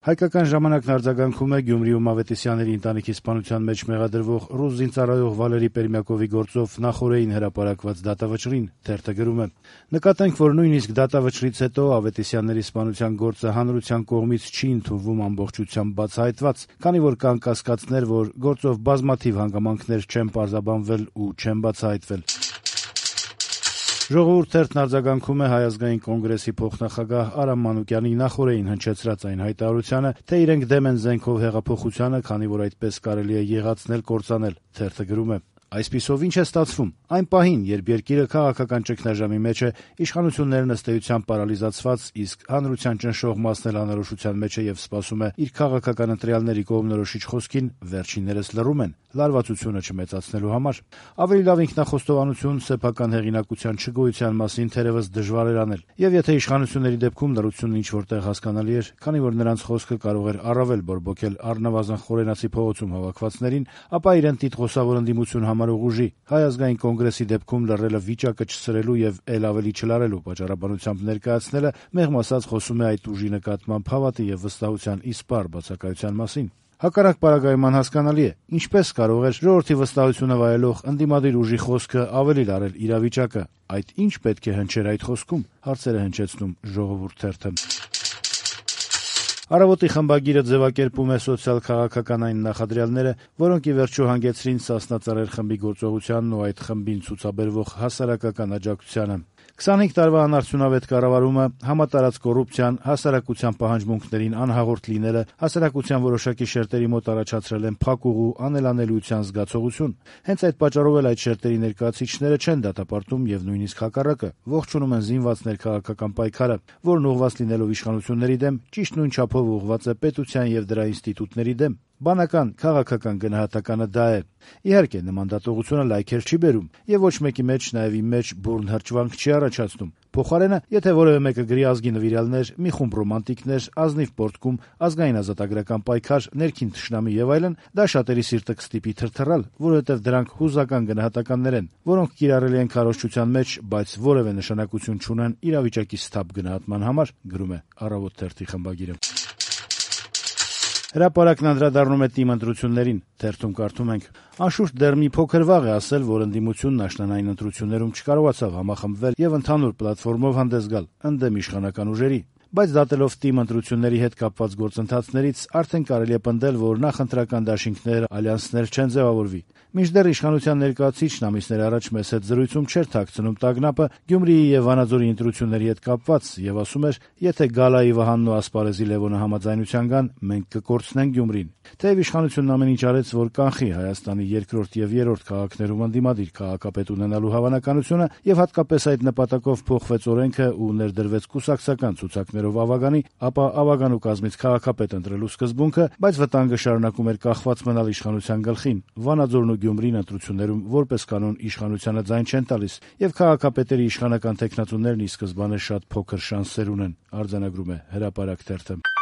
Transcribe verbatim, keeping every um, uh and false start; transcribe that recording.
Հայկական ժամանակն արձագանքում է Գյումրիում Ավետիսյանների ընտանիքի սպանության մեջ մեղադրվող ռուս զինծառայող Վալերի Պերմյակովի գործով նախօրեին հրապարակված դատավճռին թերթը գրում է. «Նկատենք, որ նույնիսկ դատավճռից հետո Ավետիսյանների սպանության գործը հանրության կողմից չի ընդունվում ամբողջությամբ բացահայտված, քանի որ կան կասկածներ, որ գործով բազմաթիվ հանգամանքներ չեն պարզաբանվել ու չեն բացահայտվել»։ «Ժողովուրդ» թերթն արձագանքում է Հայ ազգային կոնգրեսի փոխնախագահ Արամ Մանուկյանի նախօրեին հնչեցրած այն հայտարարությանը, թե իրենք դեմ են զենքով հեղափոխությանը, քանի որ այդպես կարելի է եղացնել կործանել։ Թերթը գրում է. «Այսպիսով ինչ է ստացվում։ Այն պահին, երբ երկիրը քաղաքական ճգնաժամի մեջ է, իշխանություններն ըստ էության պարալիզացված, իսկ հանրության ճնշող մասն էլ անորոշության մեջ է եւ սպասում է իր քաղաքական ընտրյալների կողմնորոշիչ խոսքին, վերջիններս լռում են, լարվածությունը չմեծացնելու համար։ Ավելի լավ ինքնախոստովանություն, սեփական հեղինակության չգոյության մասին թերևս դժվար էր անել։ Եվ եթե իշխանությունների դեպքում լռությունն ինչ որտեղ հասկանալի էր, քանի որ նրանց խոսքը կարող էր առավել բորբոքել առնվազն խորենացի փողոցում հավաքվածներին, ապա իրեն տիտղոսավոր ընդդիմություն համարող ուժի Հայ ազգային կոնգրեսի դեպքում լռելը վիճակը չսրելու եւ ել ավելի չլարելու պատճառաբանությամբ ներկայացնելը մեղմ ասած խոսում է այդ ուժի նկատմամբ հավատի եւ վստահության իսպառ բացակայության մասին։ Հակառակ պարագայում անհասկանալի է, ինչպես կարող էր ժողովրդի վստահությունը վայելող ընդդիմադիր ուժի խոսքը ավելի լարել իրավիճակը։ Այդ ինչ պետք է հնչեր այդ խոսքում, հարցեր է հնչեցնում Ժողովուրդ թերթը։ Առավոտի խմբագիրը ձևակերպում է սոցիալ-քաղաքական այն նախադրյալները, որոնք ի վերջո հանգեցրին Սասնա Ծռեր խմբի գործողությանն ու այդ խմբին ցուցաբերվող հասարակական աջակցությանը։ քսանհինգ տարվա անարդյունավետ կառավարումը, համատարած կոռուպցիան, հասարակության պահանջմունքներին անհաղորդ լինելը, հասարակության որոշակի շերտերի մոտ առաջացրել են փակուղու, անելանելիության զգացողություն։ Հենց այդ պատճառով էլ այդ շերտերի ներկայացուցիչները չեն դատապարտում եւ նույնիսկ հակառակը, ողջունում են զինված ներքաղաքական պայքարը, որն ուղղված լինելով իշխանությունների դեմ, ճիշտ նույն չափով ուղղված է պետության եւ դրա ինստիտուտների դեմ։ Բանական, քաղաքական գնահատականը դա է։ Իհարկե, նման դատողությունը լայքեր չի բերում եւ ոչ մեկի մեջ, նաեւ իմ մեջ բուրն հրճվանք չի առաջացնում։ Փոխարենը, եթե որևէ մեկը գրի ազգի նվիրյալներ, մի խումբ ռոմանտիկներ, ազնիվ պորտկում, ազգային ազատագրական պայքար, ներքին թշնամի եւ այլն, դա շատերի սիրտը կստիպի թրթռալ, որովհետեւ դրանք հուզական գնահատականներ են, որոնք կիրառելի են քարոզչության մեջ, բայց որևէ նշանակություն չունեն իրավիճակի սթափ գնահատման համար, գրում է Առավոտ թերթի խմբագիրը։ Հրապարակն անդրադառնում է ՏԻՄ ընտրություններին, թերթում կարդում ենք. «Անշուշտ դեռ մի փոքր վաղ է ասել, որ ընդդիմությունն աշնանային ընտրություններում չկարողացավ համախմբվել եւ ընդհանուր պլատֆորմով հանդես գալ ընդդեմ իշխանական ուժերի։ Բայց դատելով ՏԻՄ ընտրությունների հետ կապված գործընթացներից արդեն կարելի է պնդել, որ նախընտրական դաշինքներ, ալյանսներ չեն ձևավորվի։ Մինչդեռ իշխանության ներկայացուցիչն ամիսներ առաջ մեզ հետ զրույցում չէր թաքցնում տագնապը Գյումրիի եւ Վանաձորի ընտրությունների հետ կապված եւ ասում էր, եթե Գալայի Վահանն ու Ասպարեզի Լևոնը համաձայնության գան, մենք կկորցնենք Գյումրին։ Թեև իշխանությունն ամեն ինչ արեց, որ կանխի Հայաստանի երկրորդ եւ երրորդ քաղաքներում ընդդիմադիր քաղաքապետ ունենալու հավանականությունը եւ հատկապես այդ նպատակով փոխվեց օրենքը ու ներդրվեց կուսակցական ցուցակներով ավագանի, ապա ավագանու կազմից քաղաքապետ ընտրելու սկզբունքը, բայց վտանգը շարունակում էր կախված մնալ իշխանության գլխին։ Վանաձորն ու Գյումրին ընտրություններում որպես կանոն իշխանությանը ձայն չեն տալիս եւ քաղաքապետերի իշխանական տեխնատուներն ի սկզբանե շատ փոքր շանսեր ունեն, արձանագրում է Հրապարակ թերթը։